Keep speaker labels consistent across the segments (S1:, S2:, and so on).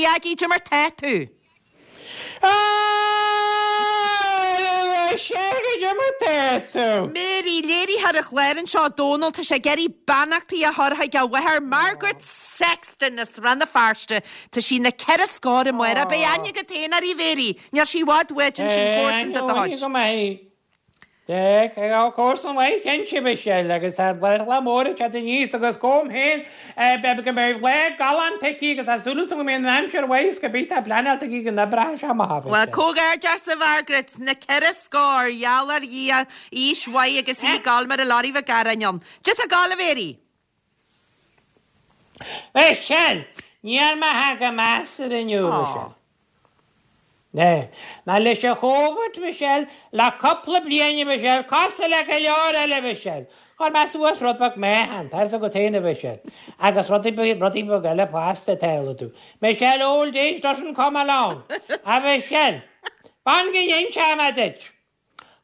S1: Aggie, cad é mar tá tú?
S2: Sea, cad é mar tá tú?
S1: Mary, léiritheoir an chláir anseo, Dónal, tá sé ag iarraidh beannachtaí a chur chuig a mháthair, Margaret Sexton as Rann na Feirste. Tá sí na ceithre scór amárach. Beidh aithne agat féin uirthi, Mary. Níl sí i bhfad uait ansin, comharsan de do chuid.
S2: Tá comharsan mhaith cinnte, Michelle, agus tá lá mór ag teacht aníos agus gabhaim féin go mbeidh lá galánta aici agus tá súil agam go mbeidh an aimsir mhaith agus go mbeidh tá pleanáilte aici go n-oibreoidh sé amach,
S1: Bhuel, comhghairdeas a Mhargaret, na ceithre scór, gheall ar Dhia, aois mhaith agus í ag gabháil mar a Lorry Mhic Gearáin ann. Cad é tá ag gabháil, a Mhary?
S2: Michelle, Níl mé thar go measartha inniu, Michelle. Ná leis an Chóvid, Michelle, le cúpla bliain, a Mhichelle, cosúil le go leor eile, a Mhichelle. Chuir mé suas rud beag meáchan, tá fhios agat féin, a Mhichelle, agus rudaí rudaí beag eile fosta, tharla tú. Michelle, old age doesn't come alone, a Mhichelle. Fan go n-inseoidh mé duit.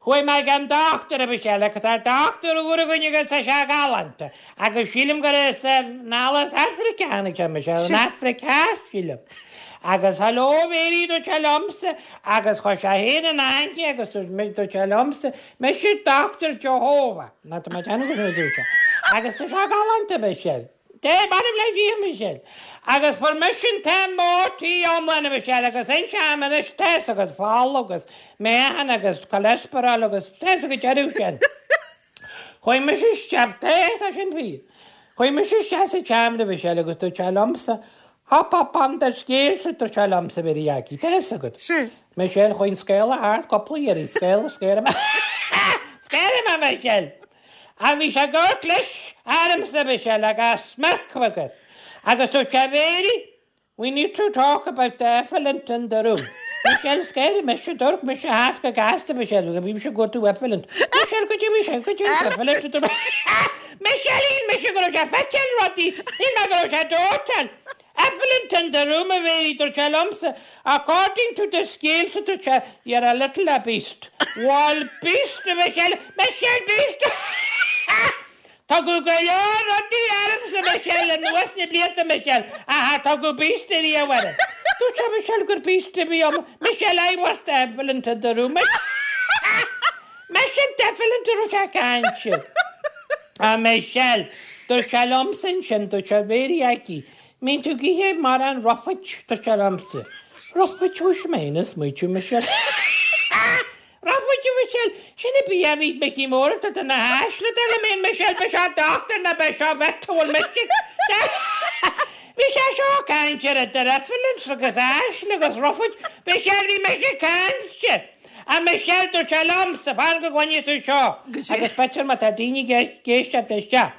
S2: Chuaigh mé ag an dochtúir, a Mhichelle, agus tá dochtúir úr againn agus tá sé galánta, agus sílim gur as anall as Afraic a tháinig sé, Michelle, an Afraic Theas, sílim. Agus hello Mary, dúirt sé liomsa, agus chuir sé féin in aithne agus dúirt sé liomsa, mise Dochtúir Jehovah, ná tá mé ag déanamh go dúirt sé, agus tá sé galánta, Michelle. Dé, m'anam le Dia, Michelle. Agus fuair mise an t-MOT iomlán, a Mhichelle, agus inseoidh mé anois, tá fhios agat, fola agus meáchan agus cholesterol agus tá fhios agat deireadh sin. Chuaigh mise isteach, tá, tá sin fíor. Chuaigh mise isteach sa tseomra, a Mhichelle, agus dúirt sé liomsa, Hop up on the scales, a dúirt sé liomsa, a Mhary Aggie, tá fhios agat. Michelle, chuaigh an scéala thart cúpla iarraidh, scéala, scéala, scéala, mé, Michelle. Ach bhí sé ag amharc leis ormsa, a Mhichelle, agus smirk aige. Agus dúirt sé, Mary, we need to talk about the elephant in the room. Michelle, scared mise, d'amharc mise thart go gasta, Michelle, bhí mise ag cuartú elephant. Michelle, goidé bhí sé, goidé an elephant in the room. Michelle, shíl mise go raibh sé ag feiceáil rudaí, shíl mé go raibh sé ag dóiteán. Elephant in the room, a Mhary, dúirt sé liomsa, According to the scales, a dúirt sé, you're a little obese. Bhal beast, a Mhichelle, Michelle beast! Tugadh go leor rudaí ormsa, Michelle, anuas na blianta, Michelle, ach char tugadh beast ariamh orm. Dúirt sé, Michelle, gur beast a bhí ionam. Michelle, I was the elephant in the room. Mise an t-elephant a raibh sé ag caint. A Michelle, dúirt sé liomsa ansin, dúirt sé, Mary Aggie, mbíonn tú ag ithe mórán roughage, dúirt sé liomsa. Roughage, thoisigh mé féin ag smaoitiú, Michelle. Roughage, a Mhichelle, sin an bia a bhí Micí Mór ag tabhairt do na hainsle, dar liom féin, Michelle, b'é seo dochtúir ná b'é seo vet a bhfuil mise. Bhí sé seo ag caint ar idir elephants agus aisle agus roughage, Michelle, bhí mise ag caint. A Michelle, dúirt sé liomsa, fan go gcluinfidh tú seo, agus b'fhéidir má tá daoine ag éisteacht isteach.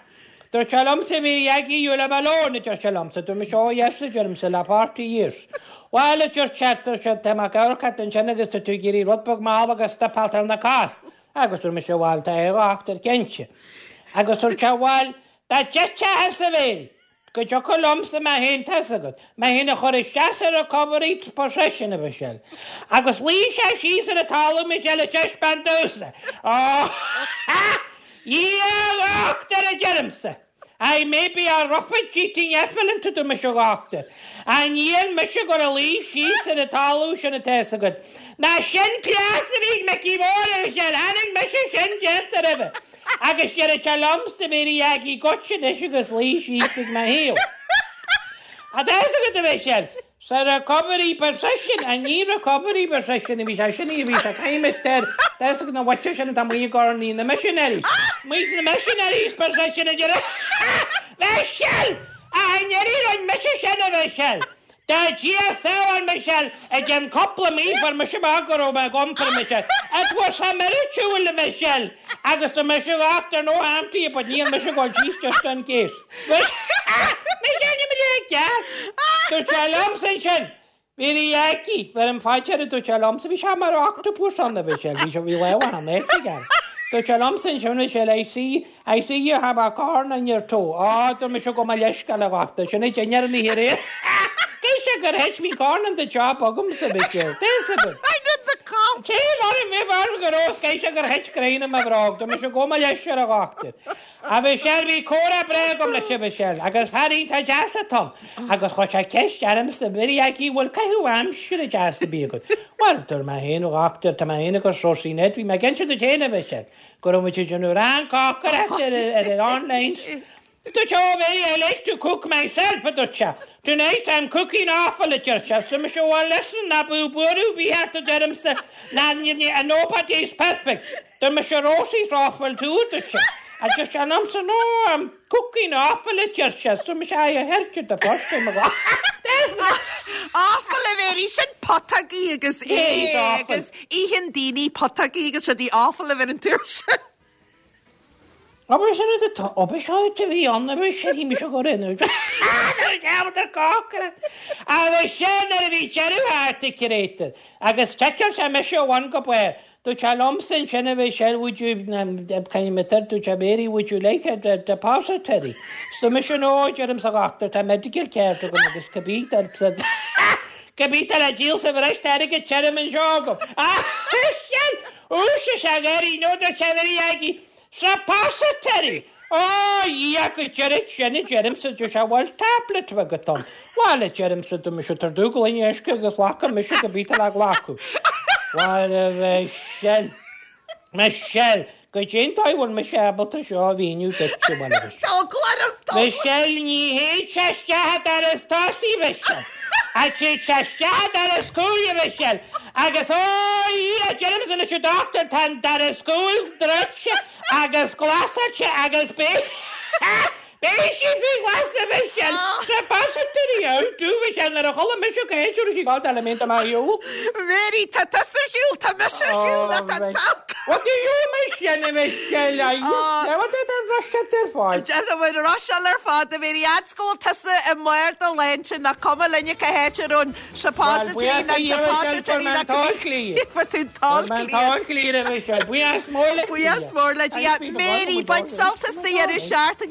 S2: Dúirt sé liomsa, Mary Aggie, you live alone, a deir sé liomsa. Dúirt mise, oh yes, a deirimse, le 40 years. Bhuel, a dúirt sé, dúirt sé, tá mé ag amharc ort ansin agus tá tú ag iarraidh rud beag mall agus stuipeáilt ar na cos. Agus dúirt mise, bhuel, tá a dhochtúir, cinnte. Agus dúirt sé, bhuel, dá dtitfeá thusa, Mary, go dtiocfadh liomsa mé féin, tá 'fhios agat, mé féin a chur isteach sa recovery position, a Mhichelle. Agus luigh sé síos ar an talamh, Michelle, ag taispeáint domhsa. Oh! Dhia a dhochtúir, a deirimse. I may be a roughage eating elephant, a dúirt mise, a dhochtúir. Ach níl mise ag gabháil a luí síos ar an talamh sin, tá 'fhios agat. Ná sin cleas a bhí ag Micí Mór, a Mhichelle, chonaic mise sin déanta roimhe. Agus deireadh sé liomsa, Mary Aggie, goitse anois agus luigh síos ag mo thaobh. Tá 'fhios agat, a Mhichelle, sa recovery position, ach ní recovery position a bhí sé, sin í a bhí sé, caithfidh ar, tá 'fhios agat na bhaite sin atá amuigh i gcornaí na missionaries, amuigh sna missionaries position a deir Michelle! Ach i ndeireadh rinne mise sin, a Mhichelle. Dá Dia sábháil Michelle, i gceann cúpla mí fuair mise amach go raibh mé ag iompar Michelle. It was a miracle, Michelle! Agus tá mise a dhochtúir, no harm to you, but níl mise ag dul síos just in case. Michelle, níl mé le ceart! Dúirt sé liomsa ansin, Mary Aggie, bheir an faighte air, dúirt sé liomsa, bhí sé mar octopus ann, a Mhichelle, bhí sé, bhí lámha ann, aige. Dúirt sé liomsa ansin, Michelle, I see, I see you have a corn on your toe. Á, dúirt mise, gabh mo leithscéal, a dhochtúir, sin é dinnéar an oíche aréir. Dúirt sé gur thit, bhí corn on the job agamsa, Michelle. Tá 'fhios agat.
S1: I did the cop.
S2: Cé mar a bhí mar go raibh, caithfidh sé gur thit greim i mo bhróg. Dúirt mise, gabh mo leithscéal, a dhochtúir. A Mhichelle, bhí comhrá breá agam leis a Mhichelle, agus fear iontach deas atá ann, agus chuir sé ceist ormsa, Mary Aggie, bhfuil caitheamh aimsire deas ar bith agat? Bhuel, dúirt mé féin, a dhochtúir, tá mé féin agus Rósaí Ned, bhí mé ag inse duit féin, a Mhichelle, go raibh muid ag déanamh rang cócaireachta ar an online. Dúirt sé, Oh Mary, I like to cook myself, a dúirt sé. Tonight I'm cooking offal, a deir sé. So mise, Well listen, ná bíodh buaireamh ar bith ort, a deirimse, ná nobody is perfect. Dúirt mise, Rosie's offal too, a dúirt sé. A deir sé liomsa, No, I'm cooking offal, a deir sé. So mise, Aye, I heard you the first time.
S1: Offal a Mary, sin putógaí agus é agus itheann daoine putógaí agus rudaí offal a bheith an tuar sin.
S2: Obair sin a tá obair seo a bhí ann a bhí sé bhí mise go raibh nuair a cheapadar cócaireacht agus sin nuair a bhí deireadh thart ag Curator agus sheiceáil sé mise ó bhun go barr. Dúirt sé liomsa ansin a bhí sé would you kind of method dúirt sé Mary would you like a depository? So mise no deirimse a dhochtúir tá medical card agam agus cibé cibé tá le díol sa bhreis tá airgead tirim anseo agam. Agus sin Ús is ea Mary nó dúirt sé Mary Aggie Suppository! Ó, a Dhia, go deireadh sin a deirimse, deir sé, bhfuil tablet agat ann? Bhuel, a deirimse, tá mise tar dúgh linn uisce agus glacfaidh mise go bith le glacadh. Bhuel, a Mhichelle, Michelle, goidé an dóigh a bhfuil mise ábalta seo a mhíniú duit, a bhuel, a Mhichelle.
S1: Tá eagla orm, tá eagla.
S2: Michelle, ní théid sé isteach an doras tosaigh, Michelle. Ach téid sé isteach an doras cúil, a Mhichelle. Agus ó, a Dhia, deirimse leis an dochtúir, tá an doras cúil druidte agus glasáilte agus beidh, beidh sí faoi ghlas, a Mhichelle. Suppository out, do, Michelle, nuair a chuala mise go héis raibh sí ag dul le mé do shiúl.
S1: Mary, tá tusa ar shiúl, tá mise ar shiúl, ná tá an t-alcól.
S2: What do you Michelle, Michelle, I What did I rush at their fáil?
S1: Tá muid ag rusháil ar fad, a Mary, fhad 's go bhfuil tusa i mbarr do shláinte, nach cuma linne cá háit a raibh an suppository ná depository ná cibé tú an t-all clear.
S2: Buíochas mór le
S1: Buíochas mór le Dia. Mary, bain sult as do dheireadh seachtaine.